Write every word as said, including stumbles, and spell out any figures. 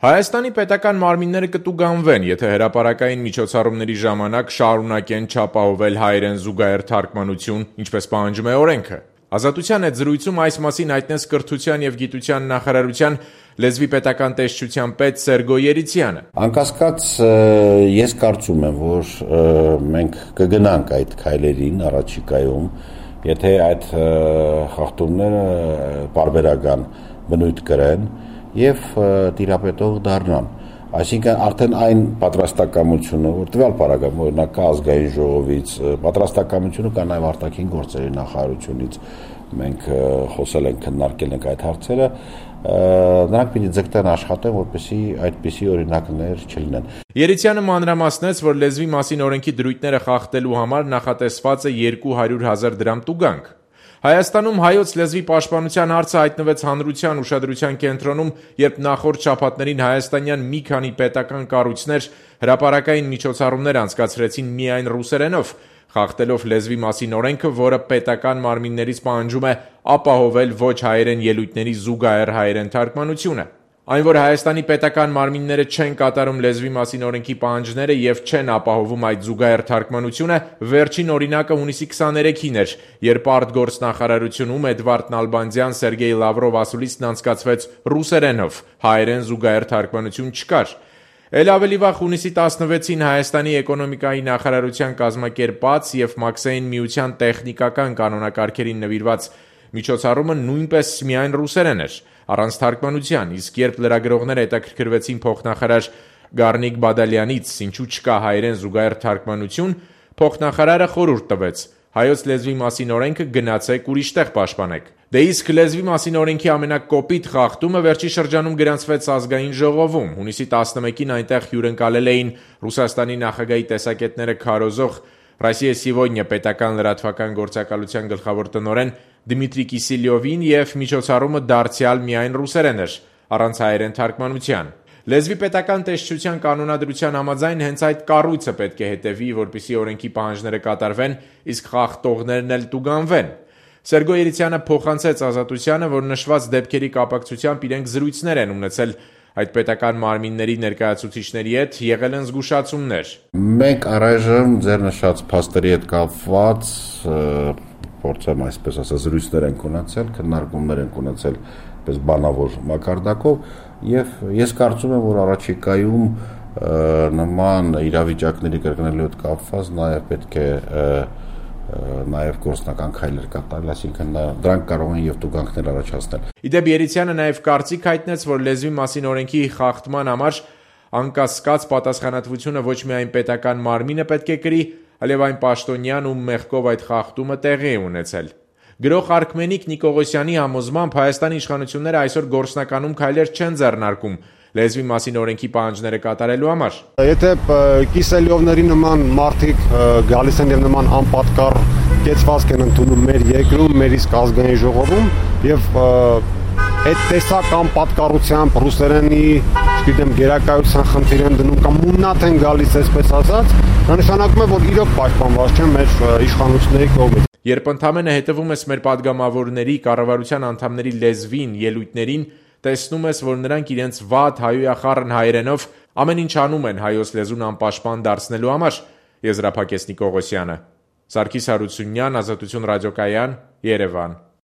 Հայաստանի պետական մարմինները կտուգանվեն, եթե հրապարակային միջոցառումների ժամանակ շարունակեն չապահովել հայերեն զուգահեռ թարգմանություն, ինչպես պահանջում է օրենքը։ Ազատության հետ զրույցում այս մասին հայտնեց Կրթության և գիտության նախարարության լեզվի պետական տեսչության պետ Սերգո Երիցյանը։ Անկասկած ես կարծում եմ, որ մենք կգնանք այդ քայլերին առաջիկայում, եթե այդ խախտումները պարբերական բնույթ կրեն և տիրապետող դառնան, այսինքն արդեն այն պատրաստակամությունը, որ տվյալ պարագայում օրինակ կա ազգային ժողովից, պատրաստակամությունը կա նաև արտաքին գործերի նախարարությունից, մենք խոսել ենք, քննարկել ենք այդ հարցերը, նրանք պիտի ձգտեն աշխատեն, որպեսզի այդպիսի օրինակներ չլինեն։ Երիցյանը մանրամասնեց, որ լեզվի մասին օրենքի դրույթները խախտելու համար նախատեսված է երկու հարյուր հազար դրամ տուգանք։ Հայաստանում հայոց լեզվի պաշտպանության հարցը հայտնվեց հանրության ուշադրության կենտրոնում, երբ նախորդ շաբաթներին հայաստանյան մի քանի պետական կառույցներ հրապարակային միջոցառումներ անցկացրեցին միայն ռուսերենով, խախտելով լեզվի մասին օրենքը, որը պետական մարմիններից պահանջում է ապահովել ոչ հայերեն ելույթների զուգահեռ հայերեն թարգմանությունը։ Այն, որ Հայաստանի պետական մարմինները չեն կատարում լեզվի մասին օրենքի պահանջները և չեն ապահովում այդ զուգահեռ թարգմանությունը, վերջին օրինակը հունիսի քսաներեքին էր, երբ արտգործնախարարությունում Էդվարդ Նալբանդյան Սերգեյ Լավրով ասուլիսն անցկացվեց ռուսերենով, հայերեն զուգահեռ թարգմանություն չկար։ Էլ ավելի վաղ հունիսի տասնվեցին Հայաստանի էկոնոմիկայի նախարարության կազմակերպած և Մաքսային միության տեխնիկական կանոնակարգերին նվիրված միջոցառումը նույնպես միայն ռուսերեն էր, առանց թարգմանության, իսկ երբ լրագրողները հետաքրքրվեցին փոխնախարար Գառնիկ Բադալյանից, ինչու չկա հայերեն զուգահեռ թարգմանություն, փոխնախարարը խորհուրդ տվեց. հայոց լեզվի մասին օրենքը գնացեք ուրիշ տեղ պաշտպանեք։ Դե իսկ լեզվի մասին օրենքի ամենակոպիտ խախտումը վերջի շրջանում գրանցվեց ազգային ժողովում։ Հունիսի տասնմեկին այնտեղ հյուրընկալել էին Ռուսաստանի նախագահի տեսակետները քարոզող Ռոսիա Սիվոդնյա պետական լրատվական գործակալության գլխավոր տնօրեն Դմիտրի Կիսիլյովին և միջոցառումը դարձյալ միայն ռուսերեն էր, առանց հայերեն թարգմանության։ Լեզվի պետական տեսչության կանոնադրության համաձայն հենց այդ կառույցը պետք է հետևի, որպեսզի օրենքի պահանջները կատարվեն, իսկ խախտողներն էլ տուգանվեն։ Սերգո Երիցյանը փոխանցեց Ազատությանը, որ նշված դեպքերի կապակցությամբ իրենք զրույցներ են ունեցել այդ պետական մարմինների ներկայացուցիչների հետ, եղել են զգուշացումներ։ Մենք առայժմ ձեր նշած փաստերի հետ կապված փորձեմ այսպես ասած զրույցներ են ունեցել, քննարկումներ են ունեցել պես բանավոր մակարդակով եւ ես կարծում եմ, որ առաջիկայում նման իրավիճակների կրկնելու հետ կապված նաեւ պետք է նաև գործնական քայլեր կատարել, այսինքն դրանք կարող են եւ տուգանքներ առաջացնել։ Իդեպ Երիցյանը նաև կարծիք հայտնեց, որ լեզվի մասին օրենքի խախտման համար անկասկած պատասխանատվությունը ոչ միայն պետական մարմինը պետք է կրի, այլև այն պաշտոնյան, ում մեղքով այդ խախտումը տեղի է ունեցել։ Գրող Արքմենիկ Նիկողոսյանի համոզմամբ Հայաստանի իշխանությունները այսօր գործնականում քայլեր չեն ձեռնարկում լեզվի մասին օրենքի պահանջները կատարելու համար։ Եթե Կիսելյովների նման մարդիկ գալիս են եւ նման անպատկառ կեցվածք են ընդունում մեր երկրում, մեր իսկ ազգային ժողովում եւ այդ տեսակ անպատկառությամբ ռուսերենի, չգիտեմ, գերակայության խնդիր են դնում կամ մուննաթ են գալիս, այսպես ասած, դա նշանակում է, որ իրոք պաշտպանված չեն մեր իշխանությունների կողմից։ Երբ ընդամենը հետևում ես մեր падգամավորների, կառավարության անդամների լեզվին, ելույթներին, տեսնում ես, որ նրանք իրենց վատ հայոյախառն հայերենով ամեն ինչ անում են հայոց լեզուն անպաշտպան դարձնելու համար, եզրափակեց Նիկողոսյանը։ Սարգիս Հարությունյան, Ազատություն ռադիոկայան, Երևան։